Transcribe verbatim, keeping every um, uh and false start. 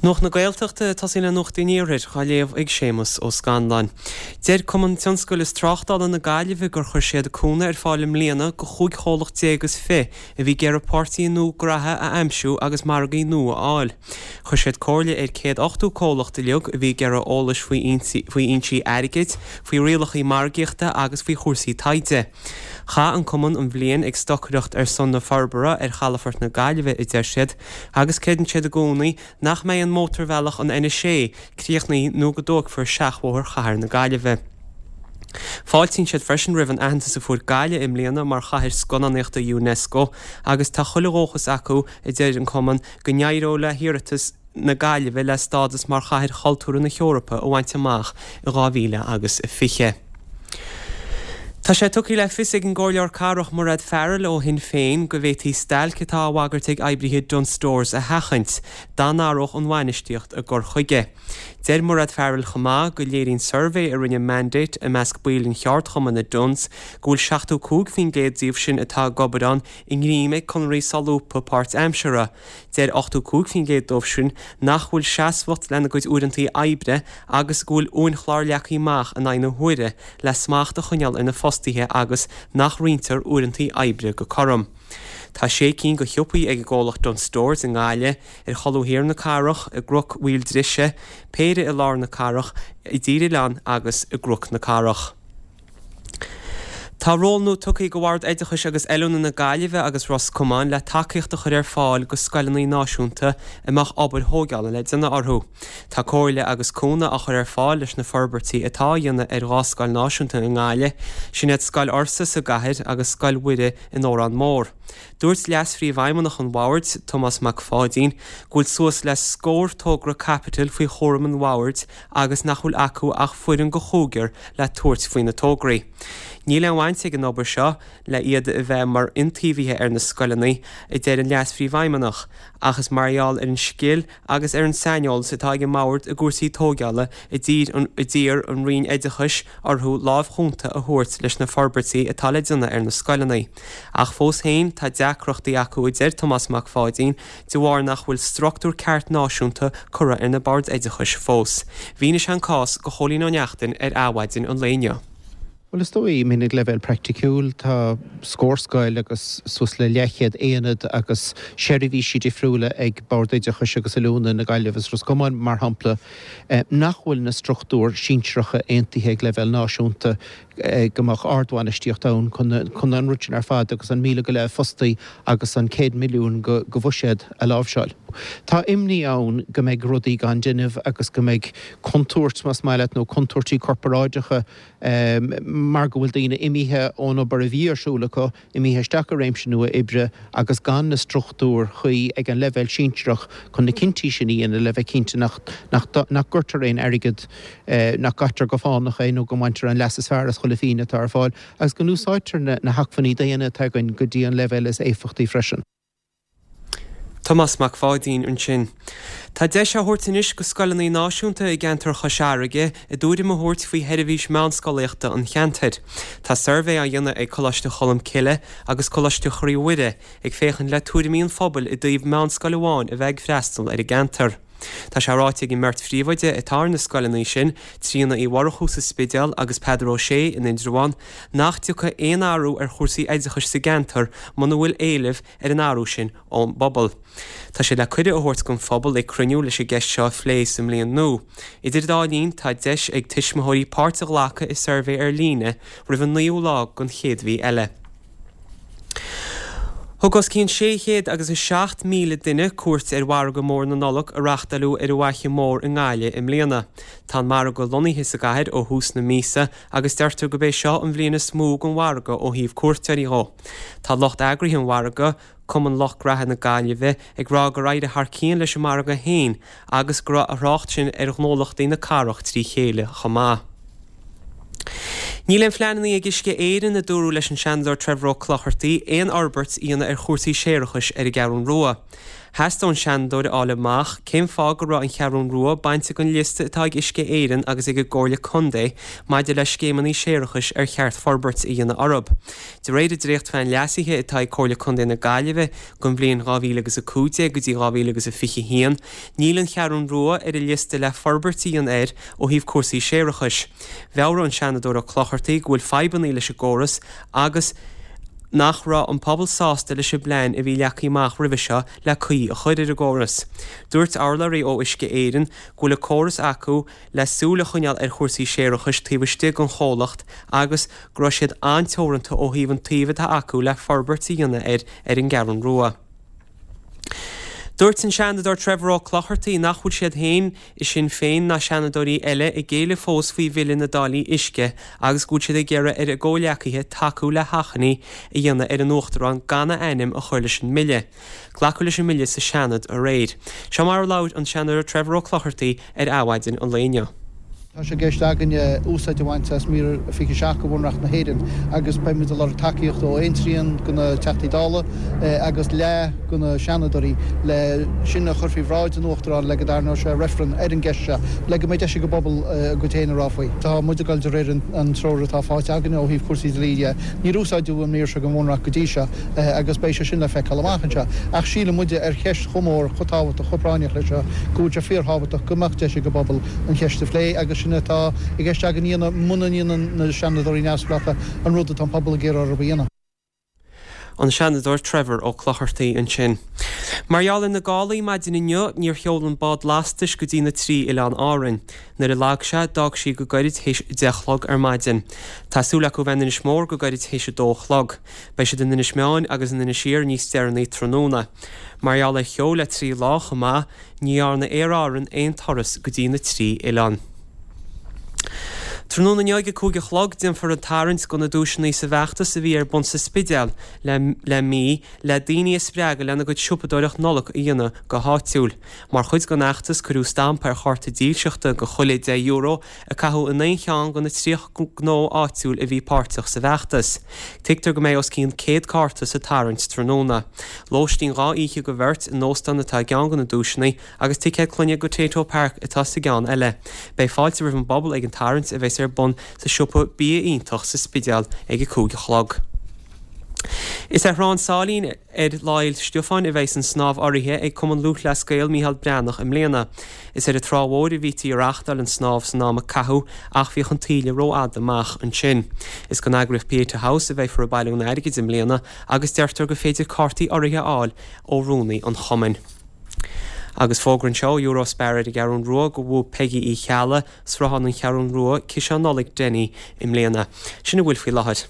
Nuacht na Gaeltachta, tosaíonn le Nuacht an Iarthair, á léamh ag Séamus Ó Scanláin. Deir Cumann Tionscail is Tráchtála na Gaillimhe gur chuir siad cúnamh ar fáil i mbliana go chúig chomhlacht déag is fiche a bhí ag iarraidh páirtithe nua graithe a aimsiú agus margaí nua a fháil. Chuir siad comhairle ar céad ochtó comhlacht uilig a bhí ag iarraidh eolais faoi fhoinsí airgid, faoi rialacha margaíochta agus faoi chúrsaí taighde. Chaith an cumann an bhliain ag stocaireacht ar son na forbartha ar chalafort na Gaillimhe, a deir siad, agus creideann siad i gcónaí nach mbeidh an mótarbhealach an N a sé críochnaithe nó go dtógfar seachbhóthar chathair na Gaillimhe. Fáiltíonn siad freisin roimh an aitheantas a fuair Gaillimh i mbliana mar chathair scannánaíochta UNESCO agus tá chuile dhóchas acu, a deir an cumann, go n-éireoidh le hiarratas na Gaillimhe le stádas mar Chathair Chultúrtha na hEorpa a bhaint amach i dhá mhíle agus fiche. Tá sé tugtha le fios ag an gComhairleoir Cathrach Mairéad Farrell ó Shinn Féin go bhféadfaí stailc atá á bhagairt ag oibrithe Dunnes Stores a sheachaint dá n-athródh an bhainistíocht a gcur chuige. Deir Mairéad Farrell chomh maith go léiríonn suirbhé a rinne Mandate i measc baill an cheardchumainn i Dunnes go bhfuil seachtó cúig faoin gcéad díobh sin atá ag obair ann i ngreim ag conarthaí solúbtha páirtaimseartha. Deir ochtó cúig faoin gcéad dóibh sin nach bhfuil seasmhacht lena gcuid uaireanta oibre agus go bhfuil uainchlár leagtha amach in aghaidh na huaire le smacht a choinneáil ar na fostaithe agus nach roinntear uaireanta oibre go cothrom. Tá sé cinn de shiopaí ag an gcomhlacht Dunnes Stores i nGaillimh, ar cholbha thiar na cathrach, i gCnoc Mhaoil Drise, péire i lár na cathrach, i dTír Oileáin agus i gCnoc na Cathrach. Tá ról nua tugtha do Bhord Oideachais agus Oiliúna na Gaillimhe agus Ros Comáin le tacaíocht a chur ar fáil go scoileanna náisiúnta a mbeadh obair thógála le déanamh orthu. Tá comhairle agus cúnamh á chur ar fáil leis na forbairtí atá á dhéanamh ar dhá scoil náisiúnta i nGaillimh, sin iad Scoil Fhursa sa gcathair agus Scoil Mhuire in Órán Mór. Dúirt Leas-Phríomhfheidhmeannach an Bhoird, Tomás Mac Pháidín, go bhfuil suas le scór togra caipitil faoi chúram an Bhoird agus nach bhfuil acu ach foireann de chúigear le tabhairt faoi na tograí. Níl aon bhaint ag an obair seo le iad a bheith mar iontaobhaithe ar na scoileanna, a deir an Leas-Phríomhfheidhmeannach, ach is mar gheall ar an scil agus ar an saineolas atá ag an mBord i gcúrsaí tógála a d'iarr an Roinn Oideachais orthu lámh chúnta a thabhairt leis na forbairtí atá le déanamh ar na scoileanna. Ach fós féin, tá deacrachtaí acu, a deir Tomás Mac Pháidín, de bharr nach bhfuil struchtúr ceart náisiúnta curtha ar na Boird Oideachais fós. Mhínigh sé an cás do Chóilín Ó Neachtain ar Adhmhaidin an lae inniu. Bhuel, is dóigh, I mean, ag leibhéal praiticiúil, tá scór scoil agus suas le leathchéad aonad agus seirbhísí difriúla ag Bord Oideachais agus Oiliúna na Gaillimhe is Ros Comáin, mar shampla, nach bhfuil na struchtúir sinsearacha aontaithe ag leibhéal náisiúnta go mbeadh ardbhainistíocht ann chun an rud sin ar fad agus an míle go leith fostaí agus an céad milliún de bhuiséad a láimhseáil. Tá imní ann go mbeidh rudaí gan déanamh agus go mbeidh contúirt, más maith leat, nó contúirtí corparáideacha mar go bhfuil daoine imithe ón obair a bhí ar siúl acu, imithe isteach i réimse nua oibre agus gan na struchtúir chuí ag an leibhéal sinsearach chun na cinntí sin a dhéanamh le bheith cinnte nach nach gcuirtear aon airgead, nach gcaitear go fánach é nó go mbaintear an leas is fearr as chuile phingin atá ar fáil agus go n-úsáidtear na hacmhainní daonna atá againn go dtí an leibhéal is éifeachtaí freisin. Tomás Mac Pháidín ansin. Tá deis á thabhairt anois go scoileanna náisiúnta i gceantar Chois Fharraige a dtuairim a thabhairt faoi sheirbhís meánscolaíochta an cheantair. Tá suirbhé á dhéanamh ag Coláiste Cholm Cille agus Coláiste Chroí Mhuire ag féachaint le tuairimí an phobail i dtaobh meánscoil amháin a bheith ag freastal ar an gceantar. Tá sé ráite ag an mbeirt phríomhoide atá ar na scoileanna sin, Tríona Uí Mhurchú sa Spidéal agus Peadar Ó Sé in Indreabhán, nach dtiocfaidh aon athrú ar chúrsaí oideachais sa gceantar muna bhfuil éileamh ar an athrú sin ón bpobal. Tá siad le cuireadh a thabhairt don phobal ag cruinniú leis an gceist seo a phlé sa mbliain nua. Idir an dá linn, tá deis ag tuismitheoirí páirt a ghlacadh i suirbhé ar líne roimh an naoú lá den chéad mhí eile. Thug os cionn sé chéad agus a seacht míle duine cuairt ar mhargadh mór na Nollag a reáchtáileadh ar an bhFaiche Mhór i nGaillimh i mbliana. Tá an margadh lonnaithe sa gcathair ó thús na míosa agus deirtear gurb é seo an bhliain is mó don mhargadh ó thaobh cuairteoirí dhó. Tá lucht eagraithe an mhargaidh, Cumann Lucht Graithe na Gaillimhe, ag rá gur éirigh thar cionn leis an margadh féin agus go raibh a thrácht sin ar ghnólachtaí na cathrach trí chéile chomh maith. Níl aon phleananna ag Uisce Éireann, a dúradh leis an Seanadóir Trevor Ó Clochartaigh, aon fhorbairt a dhéanamh ar chúrsaí séarachais ar an gCeathrú Rua. Theastaigh ón Seanadóir a fháil amach cén fáth go raibh an Cheathrún Rua bainte den liosta atá ag Uisce Éireann agus ag an gComhairle Contae maidir le scéimeanna séarachais ar cheart forbairt a dhéanamh orthu. De réir an dréachtphlean leasaithe atá ag Comhairle Contae na Gaillimhe don bhliain dhá mhíle agus a cúig déag go dtí dhá mhíle agus a fiche a haon, níl an Cheathrún Rua ar an liosta le forbairt a dhéanamh air ó thaobh cúrsaí séarachais. Mheabhraigh an Seanadóir Ó Clochartaigh go bhfuil fadhbanna leis an gcóras agus nach raibh an pobal sásta leis an bplean a bhí leagtha amach roimhe seo le caoi a chur ar an gcóras. Dúirt urlabhraí ó Uisce Éireann go bhfuil an córas acu le súil a choinneáil ar chúrsaí séarachais taobh istigh den chomhlacht agus go raibh siad an-teoranta ó thaobh an tsuímh atá acu le forbairt a dhéanamh air ar an gCeathrún Rua. Dúirt an Seanadóir Trevor Ó Clochartaigh nach bhfuil siad féin i Sinn Féin ná seanadóirí eile ag géilleadh fós faoi bhille na dtáillí uisce agus go bhfuil siad ag iarraidh ar a gcomhghleacaithe tacú le hachainí a dhéanamh ar an Uachtarán gan a ainm a chur leis an mbille. Glacadh leis an mbille sa Seanad aréir. Seo mar a labhair an Seanadóir Trevor Ó Clochartaigh ar Adhmhaidin an lae inniu. Tá sé i gceist againne úsáid a bhaint as mír fiche a seacht de Bhunreacht na hÉireann agus beimid ag lorg tacaíocht ó aon trian de na Teachtaí Dála agus leath de na Seanadóirí le sin a chur faoi bhráid an Uachtaráin le go dtarraingeodh sé reifreann ar an gceist seo le go mbeidh deis ag an bpobal a gcuid féin a rá faoi. Tá muid ag dul de réir an treoir atá faighte againne ó thaobh cúrsaí dlí de. Níor úsáideadh an mír seo den Bhunreacht go dtí seo agus beidh sé sin le feiceáil amach anseo. Ach síleann muide ar cheist chomh mór, chomh tábhachtach, chomh práinneach leis seo go bhfuil sé fíorthábhachtach go mbeadh deis ag an bpobal an cheist a phlé agus sin atá i gceist againn a dhéanamh muna ndéanann na Seanadóirí neamhspleácha an rud atá an pobal ag iarraidh orthu a dhéanamh. An Seanadóir Trevor Ó Clochartaigh ansin. Mar gheall ar na gálaí maidin inniu, níor sheol an bád lastais go dtí na trí Oileán Árainn. Nuair a lag sé, d'fhág sí go gairid théis a deich a chlog ar maidin. Tá súil acu bheith in Inis Mór go gairid théis a dó a chlog. Beidh siad in Inis Meáin agus in Inis Oírr níos deireanaí tráthnóna. Mar gheall ar cheo le trí lá chomh maith, ní dhearna Aer Árann aon turas go dtí na trí oileán. Tráthnóna inniu ag a cúig a chlog déanfar an tarraingt do na duaiseanna sa bhfeachtas a bhí ar bun sa Spidéal le le mí le daoine a spreagadh lena gcuid siopadóireacht Nollag a dhéanamh go háitiúil. Mar chuid den fheachtas cuireadh stampa ar chárta dílseachta do chuile deich euro a caitheadh in aon cheann de na tríocha gnó áitiúil a bhí páirteach sa bhfeachtas. Tuigtear go mbeidh os cionn céad cárta sa tarraingt tráthnóna. Lóistín dhá oíche do bheirt in óstán atá i gceann de na duaiseanna agus ticéad clainne go Tayto Park atá sa gceann eile. Beidh fáilte roimh an bpobal ag an tarraingt a bheas ar bun sa siopa Bia Iontach sa Spidéal ag a cúig a chlog. Is ar Thrá an tSáilín ar Lá Fhéile Stiofáin a bheas an snámh urraithe ag Cumann Lúthchleas Gael Micheál Breathnach i mbliana. Is ar an Trá Mhór a bhítí ag reáchtáil an snámh san am a caitheadh ach bhíodh an taoille rófhada amach ansin. Is don eagraíocht Pieta House a bheifear ag bailiú an airgid i mbliana agus deirtear gur féidir cártaí urraithe a fháil ó rúnaí an chumainn. Agus fógra anseo ó Eurospar ar an gCeathrún Rua go bhuaigh Peggy Uí Cheallaigh, Sruthán an Cheathrún Rua, ciseán Nollag Denny i mbliana. Sin a bhfuil faoi láthair.